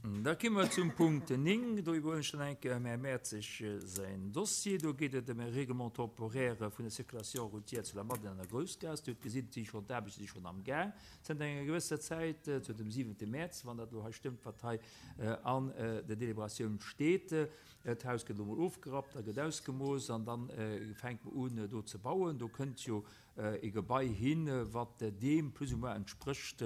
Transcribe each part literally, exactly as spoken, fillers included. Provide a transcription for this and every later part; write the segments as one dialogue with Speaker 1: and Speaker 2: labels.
Speaker 1: Da komme mer zum Punkt néng. Do iwwerhuelen ech dann eng Kéier dem Här Mertzig säin Dossier. Do geet et ëm e Règlement temporaire vun der Circulation routière zu der Madeleine an der Groussgaass. Dir hutt gesinn, et si schonn, d'Aarbechte si schonn am Gaang zënter enger gewësser Zäit, zënter dem siwente Mäerz, wann dat elo hei stëmmt, wat hei an der Deliberatioun steet. D'Haus gëtt elo mol ofgerappt, da gëtt ausgemooss an da fänkt mer un do ze bauen. Do kënnt jo e Gebai hin, wat deem plus ou moins entsprécht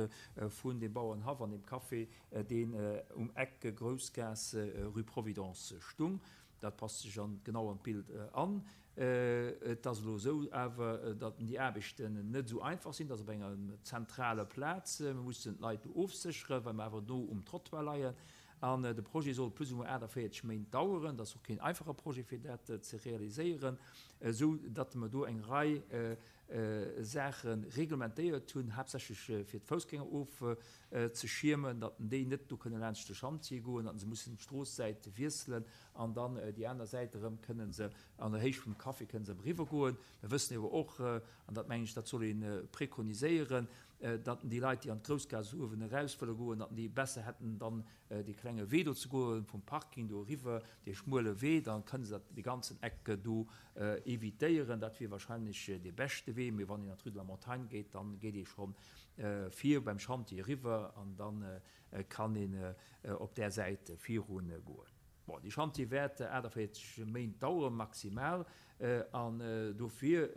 Speaker 1: vun deem Bauernhaff an deem Café, deen um Eck Groussgaass, rue Providence stung. Dat passt sech an genau an d'Bild an. Et ass elo esou awer, datt déi Aarbechten net esou einfach sinn. Dat ass op enger zentraler Plaz. Mir mussen d'Leit do ofsécheren, well mer awer no um Trottoir leien. An de Projet soll plus ou moins aachtavéierzeg Méint daueren. Dat ass och keen einfache Projet, fir dat ze realiséieren, esou datt mer do eng Rei Saache reglementéiert hunn, haaptsächlech fir d'Foussgänger ofzeschiermen, datt déi net do kënne laanscht de Schantje goen, datt se mussen d'Stroossäit wiesselen an dann déi aner Säit erëm kënne se an der Héicht vum Café kënne se erëm eriwwergoen. Mir wëssen awer och, an dat mengen ech, dat soll ee prekoniséieren, datt déi Leit, déi an d'Groussgaass uewen eraus wëlle goen, datt déi besser hätten, dann dee klenge Wee do ze goen, vum Parking do eriwwer, dee schmuele Wee, da kënne se dat dee ganzen Eck do evitéieren. Dat wier wahrscheinlech dee beschte Wee. Mee wann een an d'Rue de la Montagne geet, da geet ee scho vir beim Chantier eriwwer an da kann een op där Säit virun goen. Bon, dee Chantier wäert aachtavéierzeg Méint daueren, maximal. An dofir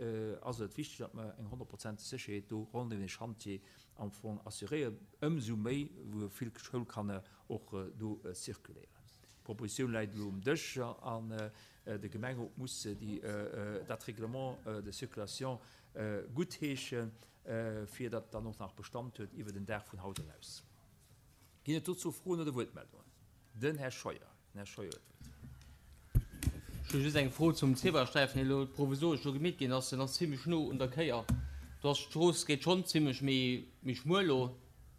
Speaker 1: ass et wichteg, datt mer eng honnertprozenteg Sécherheet do ronderëm dee Chantier am Fong assuréieren, ëmsou méi wou vill Schoulkanner och do circuléieren. D'Propositioun läit elo um Dësch an de Gemengerot muss déi, dat Règlement de circulation guttheeschen, fir datt et dann och nach Bestand huet iwwer den Dag vun haut eraus. Ginn et dozou Froen oder Wuertmeldungen? Den Här Scheuer. Den Här Scheuer huet d'Wuert.
Speaker 2: Ech hu just eng Fro zum Zebrasträifen, deen elo provisoresch do gemeet ginn ass. Den ass zimlech no un der Kéier. Do ass d'Strooss gétt schonn zimlech méi, méi schmuel elo,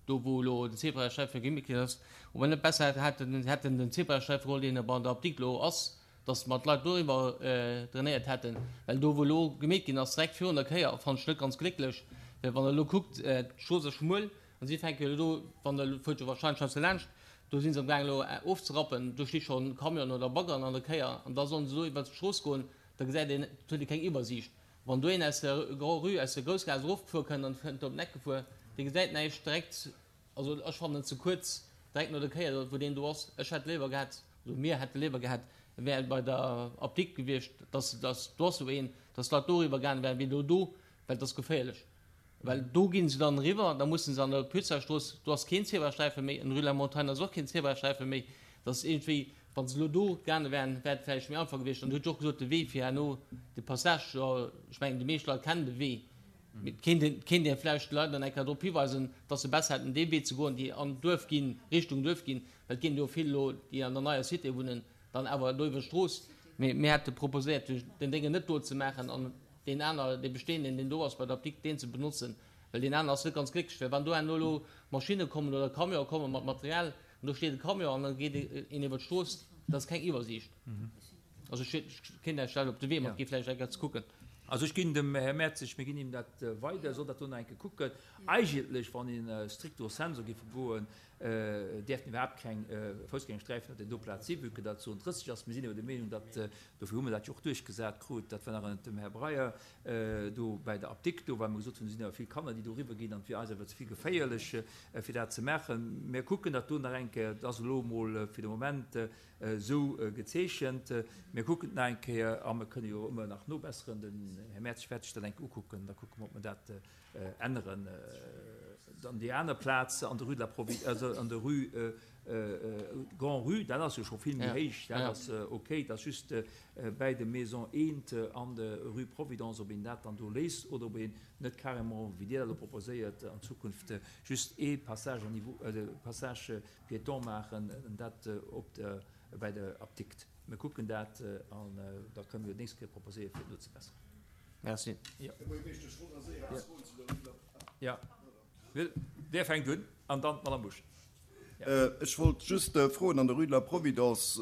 Speaker 2: do wou elo den Zebrasträifen gemeet ginn ass. Ob mer net besser hätten, hätten den Zebrasträifen geholl, deen bei der Apdikt elo ass, dass mer d'Leit doriwwer drainéiert hätten. Well do wou elo gemeet ginn ass, direkt virun der Kéier, fannen ech net ganz glécklech. Well wann Der elo kuckt, d'Strooss ass schmuel an si fänke jo elo do, wann Der fuert jo wahrscheinlech heiansdo laanscht, do si se amgaang elo ofzerappen, do sti schonn Camionen oder Baggeren an der Kéier an da sollen se do iwwert d'Strooss goen, da gesäit een, et huet ee keng Iwwersiicht. Wann do een aus der Grand-Rue, aus der Groussgaass erofgefuer kënnt an kënnt op den Eck gefuer, dee gesäit näischt direkt. Also ech fannen et ze kuerz direkt no der Kéier, wou deen do ass. Ech hätt léiwer gehat, also mir hätte léiwer gehat, e wär bei der Apdikt gewiescht, dass, dass do ass esou een, dass d'Leit doriwwer gaange wären, wéi elo do, well et ass geféierlech. Well do gi se dann eriwwer, da musse se an der Pützerstrooss, do ass keen Zebrasträife méi, an Rue de la Montagne ass och keen Zebrasträife méi. Dat ass iergendwéi, wa se elo do gaange wären, wär et vläicht méi einfach gewiescht. An Dir hutt jo och gesot, de Wee fir herno, de Passage, jo, ech mengen, déi meescht Leit kennen de Wee, mee et kéint een, kéint ee vläicht de Leit dann eng Kéier drop hiweisen, dass se besser hätten, dee Wee ze goen, déi an d'Duerf ginn, Richtung Duerf ginn, well et ginn jo vill elo, déi an der neier Cité wunnen, dann awer do iwwer d'Strooss. Mee mir hätte proposéiert, den Déngen net do ze maachen an deen aner, dee bestehenden, deen do ass bei der Apdikt, deen ze benotzen, well deen aner ass net ganz glécklech, well wann do herno elo Maschinne kommen oder Camionë komme mat Material an do steet e Camion an da geet een iwwer d'Strooss, dat ass keng Iwwersiicht. Also ech kéint Iech dat op de Wee matginn, vläicht eng Kéier ze kucken.
Speaker 1: Also ech ginn dem Här Mertzig, mir ginn him dat weider, e soll dat do nach eng Kéier kucken. Eigentlech, wann een stricto sensu géif goen, däerften iwwerhaapt keng Foussgängersträifen op där do Plaz sinn, vue que dat Zone drësseg ass. Mir sinn awer der Meenung, datt, dofir hu mir dat jo och duerchgesat krut, dat war nach ënnert dem Här Breyer do bäi der Apdikt do, well mer gesot hunn, do sinn awer vill Kanner, déi do eriwwer ginn an et wier eis awer ze vill geféierlech, fir dat ze maachen. Mir kucken dat do nach eng Kéier, et ass elo emol fir de Moment esou gezeechent. Mir kucken et nach eng Kéier a mir kënne jo ëmmer nach nobesseren. Den Här Mertz wäert sech dat eng Kéier ukucken, da kucke mer, ob mer dat änneren. Dann déi aner Plaz an der Rue de la Provi-, also an der Rue Grand-Rue, dat ass jo scho vill méi héich, dat ass okay. Et ass just bäi de Maison eent an der Rue Providence, ob een dat dann do léisst oder ob een net carrément, wéi Dir dat elo proposéiert, an Zukunft just ee Passage à niveau, Passage piéton maachen, dat op der, bäi der Apdikt. Mir kucken dat an da kënne mir jo d'nächst Kéier proposéieren, fir et nozebesseren.
Speaker 2: Merci.
Speaker 1: Jo. Jo. Dir fänkt un an dann d'Madame Busch.
Speaker 3: Ech wollt just froen, an der Rue de la Providence,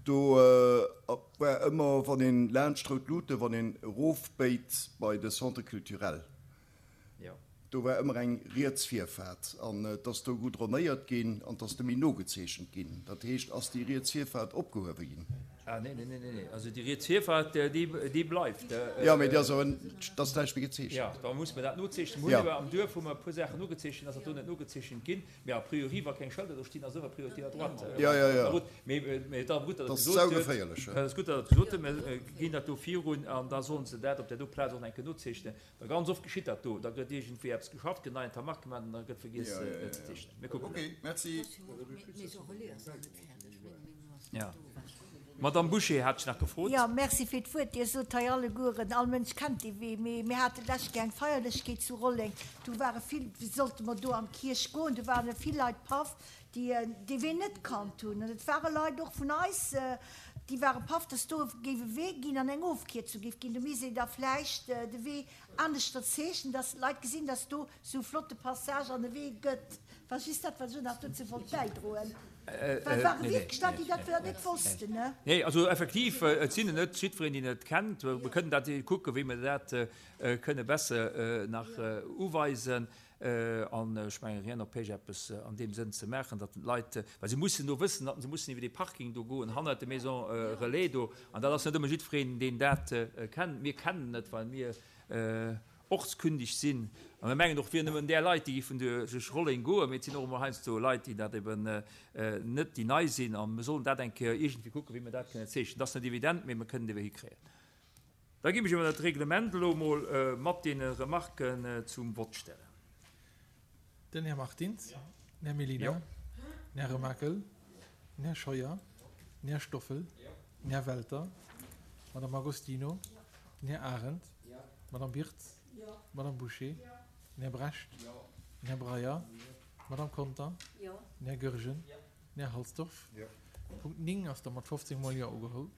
Speaker 3: do war ëmmer, wann een laanscht d'Rout Luuten, wann een erofbéit bei de Centre culturel, Do war ëmmer eng riets Virfaart an et ass do goudronéiert ginn an et ass nëmme nogezeechent ginn. Dat heescht, ass déi riets Virfaart opgehuewe ginn?
Speaker 1: Ah, nee, nee, nee, nee, nee. Also déi riets Virfaart, déi, déi bleift.
Speaker 3: Jo, mee déi ass awer, et ass näischt méi gezeechent.
Speaker 1: Jo, da muss mer dat nozeechnen. Mir hunn awer am Duerf hu mer e puer Saachen nogezeechent, ass dat do net nogezeechent ginn. Mee a priori, wa keng Schëlder do stinn, ass ëmmer Priorité à droite.
Speaker 3: Jo, jo, jo.
Speaker 1: Mee, mee et ass gutt, datt Der
Speaker 3: Dat
Speaker 1: et
Speaker 3: ass
Speaker 1: gesot hutt.
Speaker 3: saugeféierlech.
Speaker 1: Et ass gutt, datt Der et gesot hutt. Mir ginn dat do virun an da sollen se dat op där do Plaz och nach eng Kéier nozeechnen. Well ganz oft geschitt dat do, da gëtt iergendwéi eppes geschafft, gëtt neien Tarmac gemaach an da gëtt vergiess ze zeechnen. Mir kucken dat. Jo. D'Madame Bouché hat ech nach gefrot.
Speaker 4: Jo, merci fir d'Wuert. Dir sot hei allegueren, all Mënsch kennt dee Wee, mee mir haten d'lescht Kéier eng Feierlechkeet zu Rolleng, do ware vill, sollte mer do an d'Kierch goen, do waren vill Leit paff, déi dee Wee net kannt hunn. An et ware Leit och vun eis, déi ware paff, dass do géif e Wee ginn an eng Ofkierzung géif ginn. Do misst een da vläicht de Wee aneschter zeechnen, dass d'Leit gesinn, dass do esou e flotte Passage an e Wee gëtt. War just dat, wat ech och nach dozou wollt bäidroen. Well et ware wierklech Leit, déi dat net wossten, ne?
Speaker 1: Nee, also effektiv, et sinn net jiddwereen, deen et kennt. Mir kënnen dat kucken, wéi mir dat kënne besser nach uweisen. An ech mengen, rien n'empêche, eppes an deem Sënn ze maachen, datt d'Leit, well se mussen do wëssen, datt se mussen iwwer dee Parking do goen, hannert der Maison Relais do. An dat ass net ëmmer jiddwereen, deen dat kennt. Mir kennen et, well mir ortskündig sinn. A mir mengen och, et wieren nëmmen där Leit, déi géifen duerch Rolleng goen, mee et sinn och emol heiansdo Leit, déi dat eben net, déi nei sinn. A mir sollen dat eng Kéier iergendwéi kucken, wéi mir dat kënnen zeechnen. Dat ass net evident, mee mir kënnen dee Wee hikréien. Da géif ech awer dat Reglement elo emol mat deene Remarken zum Vott stellen.
Speaker 5: Den Här Martins, den Här Mellina, den Här Remakel, den Här Scheuer, den Här Stoffel, den Här Welter, d'Madame Agostino, den Här Arendt, d'Madame Birtz, d'Madame Bouché, den Här Brecht, den Här Breyer, d'Madame Conter, den Här Goergen, den Här Halsdorf. Punkt néng ass da mat fofzéng mol Jo ugeholl.